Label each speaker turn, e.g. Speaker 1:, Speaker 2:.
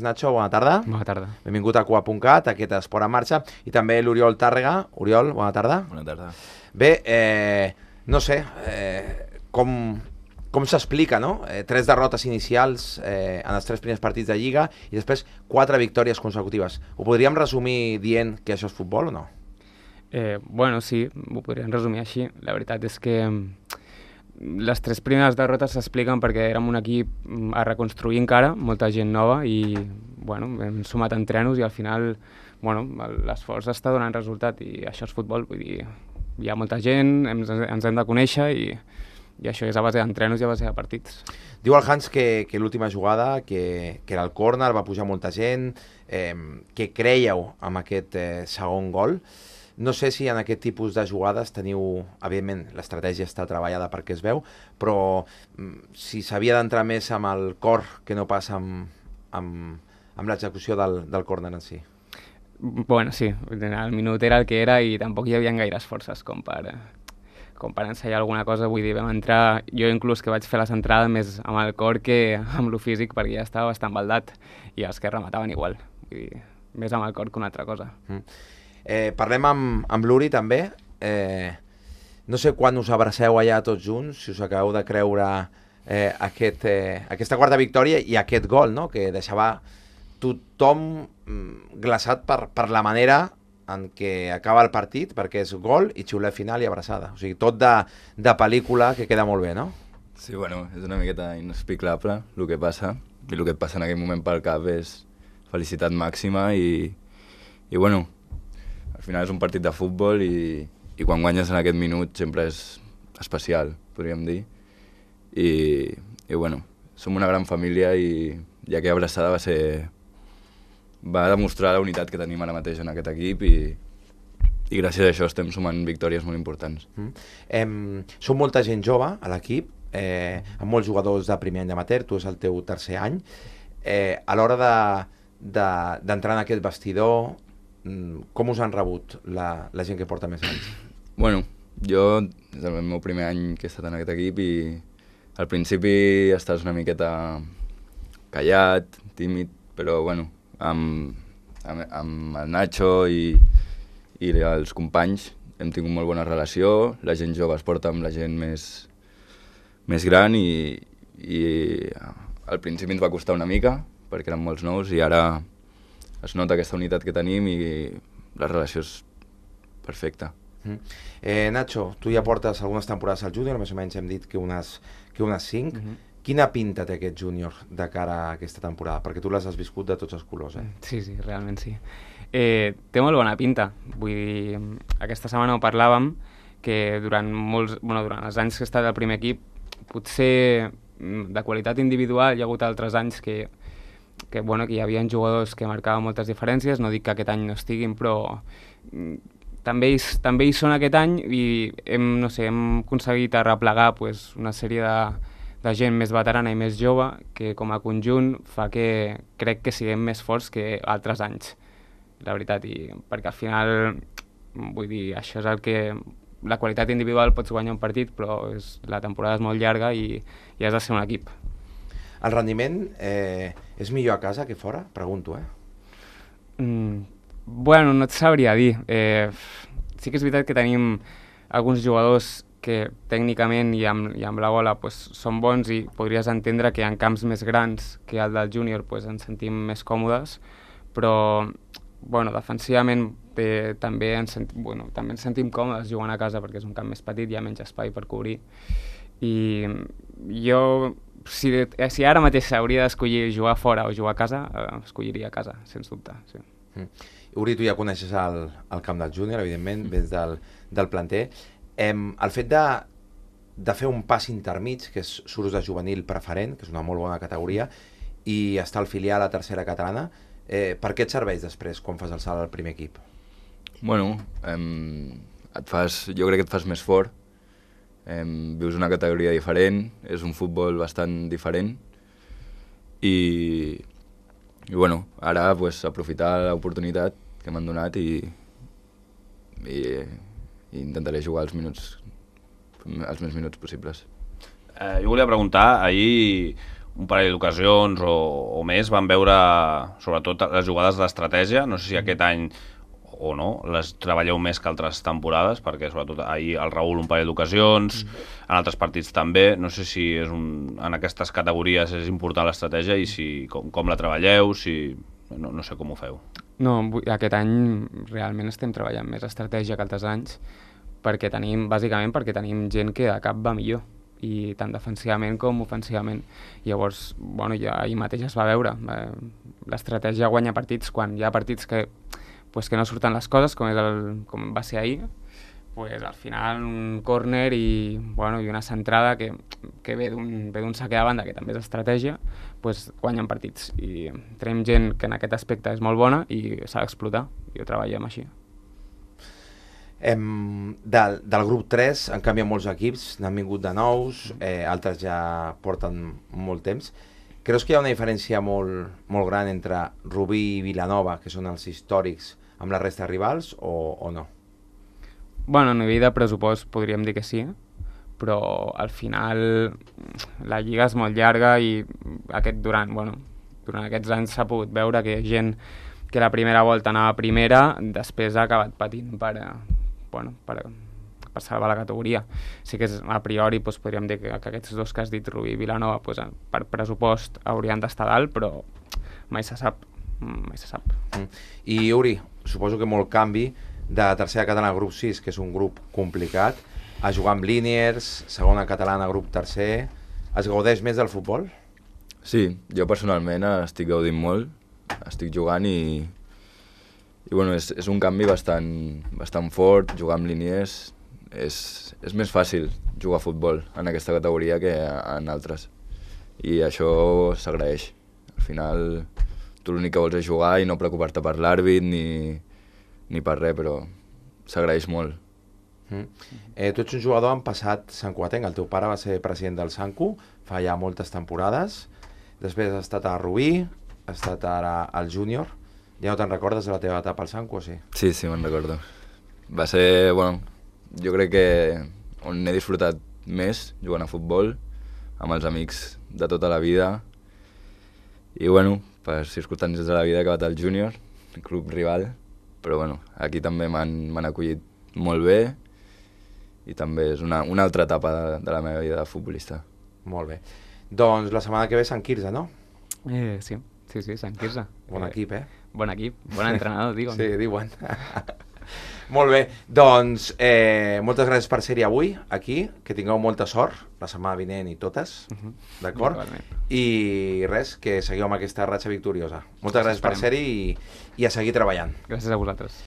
Speaker 1: Nacho, bona tarda.
Speaker 2: Bona tarda.
Speaker 1: Benvingut a Cua.cat, aquest Esport en Marxa, i també l'Oriol Tàrrega. Oriol, bona tarda.
Speaker 3: Bona tarda.
Speaker 1: Bé, no sé, com s'explica, no? 3 derrotes inicials en els 3 primers partits de Lliga i després 4 victòries consecutives. Ho podríem resumir dient que això és futbol o no?
Speaker 2: Bueno, sí, ho podríem resumir així. La veritat és que les 3 primeres derrotes s'expliquen perquè érem un equip a reconstruir encara, molta gent nova i bueno, hem sumat entrenos i al final bueno, l'esforç està donant resultat i això és futbol, vull dir, hi ha molta gent, ens hem de conèixer i això és a base d'entrenos i a base de partits.
Speaker 1: Diu el Hans que l'última jugada, que era el córner, va pujar molta gent, que creieu amb aquest segon gol. No sé si en aquest tipus de jugades teniu, evidentment, l'estratègia està treballada perquè es veu, però si s'havia d'entrar més amb el cor que no pas amb l'execució del córner en si.
Speaker 2: Bueno, sí, el minut era el que era i tampoc hi havia gaires forces com per ensenyar alguna cosa. Vull dir, vam entrar, jo inclús que vaig fer la centrada més amb el cor que amb lo físic perquè ja estava bastant baldat i els que remataven igual, vull dir, més amb el cor que una altra cosa.
Speaker 1: Parlem amb l'Uri també. No sé quan us abraceu allà tots junts, si us acabeu de creure aquesta quarta victòria i aquest gol, no? Que deixava tothom glaçat per la manera en què acaba el partit, perquè és gol i xiulet final i abraçada. O sigui, tot de pel·lícula que queda molt bé, no?
Speaker 3: Sí, bueno, és una miqueta inexplicable el que passa, i el que et passa en aquell moment pel cap és felicitat màxima i bueno, al final és un partit de futbol i quan guanyes en aquest minut sempre és especial, podríem dir. I bueno, som una gran família i aquella abraçada va demostrar la unitat que tenim ara mateix en aquest equip i gràcies a això estem sumant victòries molt importants.
Speaker 1: Som molta gent jove a l'equip, amb molts jugadors de primer any d'amateur, tu és el teu tercer any. A l'hora d'entrar en aquest vestidor, com us han rebut la gent que porta més anys?
Speaker 3: Bueno, jo és el meu primer any que he estat en aquest equip i al principi estàs una miqueta callat, tímid, però bueno, amb el Nacho i els companys hem tingut molt bona relació, la gent jove es porta amb la gent més gran i al principi ens va costar una mica perquè eren molts nous i ara es nota aquesta unitat que tenim i la relació és perfecta.
Speaker 1: Nacho, tu ja portes algunes temporades al júnior, més o menys hem dit que unes 5. Quina pinta té aquest júnior de cara a aquesta temporada? Perquè tu les has viscut de tots els colors,
Speaker 2: Sí, realment sí. Té molt bona pinta. Vull dir, aquesta setmana ho parlàvem, que durant els anys que he estat al primer equip, potser de qualitat individual hi ha hagut altres anys que hi havia jugadors que marcaven moltes diferències, no dic que aquest any no estiguin, però també hi són aquest any i hem aconseguit arreplegar una sèrie de gent més veterana i més jove que com a conjunt fa que crec que siguem més forts que altres anys, la veritat, i perquè al final, vull dir, això és el que la qualitat individual pots guanyar un partit, però la temporada és molt llarga i has de ser un equip.
Speaker 1: El rendiment és millor a casa que fora? Pregunto,
Speaker 2: Bueno, no et sabria dir. Sí que és veritat que tenim alguns jugadors que tècnicament i amb la bola són bons i podries entendre que en camps més grans que el del júnior ens sentim més còmodes, però bueno, defensivament també ens sentim còmodes jugant a casa perquè és un camp més petit, hi ha menys espai per cobrir i jo si ara mateix hauria d'escollir jugar fora o jugar a casa, escolliria a casa, sens dubte. Sí.
Speaker 1: Uri, tu ja coneixes el camp del júnior, evidentment, vens del planter. El fet de fer un pas intermig, que surts de juvenil preferent, que és una molt bona categoria, i estar al filial a la tercera catalana, per què et serveix després quan fas el salt al primer equip?
Speaker 3: Bueno, jo crec que et fas més fort, vius una categoria diferent, és un futbol bastant diferent i bueno, ara aprofitar l'oportunitat que m'han donat i intentaré jugar els més minuts possibles.
Speaker 4: Jo volia preguntar, ahir un parell d'ocasions o més van veure sobretot les jugades d'estratègia. No sé si aquest any o no, les treballeu més que altres temporades, perquè sobretot ahir el Raül un parell d'ocasions, en altres partits també. No sé si en aquestes categories és important l'estratègia i si com la treballeu, no sé com ho feu.
Speaker 2: No, aquest any realment estem treballant més estratègia que altres anys, bàsicament perquè tenim gent que de cap va millor, i tant defensivament com ofensivament. Llavors, ja ahir mateix es va veure. L'estratègia guanya partits quan hi ha partits que no surten les coses, com va ser ahir. Al final un córner i una centrada que ve d'un saque de banda, que també és estratègia, guanyen partits. I tenim gent que en aquest aspecte és molt bona i s'ha d'explotar, i ho treballem així.
Speaker 1: Del grup 3 han canviat molts equips, n'han vingut de nous, altres ja porten molt temps. Creus que hi ha una diferència molt gran entre Rubí i Vilanova, que són els històrics, amb la resta de rivals, o no?
Speaker 2: A nivell de pressupost podríem dir que sí, però al final la lliga és molt llarga i durant aquests anys s'ha pogut veure que gent que la primera volta anava a primera després ha acabat patint per salvar la categoria. Sí que a priori podríem dir que aquests dos que has dit, Rubí i Vilanova, per pressupost haurien d'estar dalt, però mai se sap.
Speaker 1: I Uri, suposo que molt canvi de tercera catalana a grup 6, que és un grup complicat, a jugar amb Liniers, segona catalana a grup tercer. Es gaudeix més del futbol?
Speaker 3: Sí, jo personalment estic gaudint molt, estic jugant i és un canvi bastant fort. Jugar amb Liniers és més fàcil jugar a futbol en aquesta categoria que en altres, i això s'agraeix. Al final tu l'únic que vols és jugar i no preocupar-te per l'àrbit ni per res, però s'agraeix molt.
Speaker 1: Tu ets un jugador en passat santcugatenc. El teu pare va ser president del Sancu fa ja moltes temporades, després has estat a Rubí, has estat ara al júnior. Ja no te'n recordes de la teva etapa al Sancu, o sí?
Speaker 3: Sí, me'n recordo. Va ser, jo crec que on he disfrutat més jugant a futbol, amb els amics de tota la vida, i per circumstàncies de la vida he acabat al júnior, club rival, però aquí també m'han acollit molt bé, i també és una altra etapa de la meva vida de futbolista.
Speaker 1: Molt bé. Doncs la setmana que ve Sant Quirze, no?
Speaker 2: Sí, Sant Quirze.
Speaker 1: Bon equip,
Speaker 2: Bon equip, bon entrenador, diuen.
Speaker 1: Sí, diuen. Molt bé, doncs moltes gràcies per ser-hi avui, aquí, que tingueu molta sort, la setmana vinent i totes, d'acord? I res, que seguiu amb aquesta ratxa victoriosa. Moltes gràcies per ser-hi i a seguir treballant.
Speaker 2: Gràcies a vosaltres.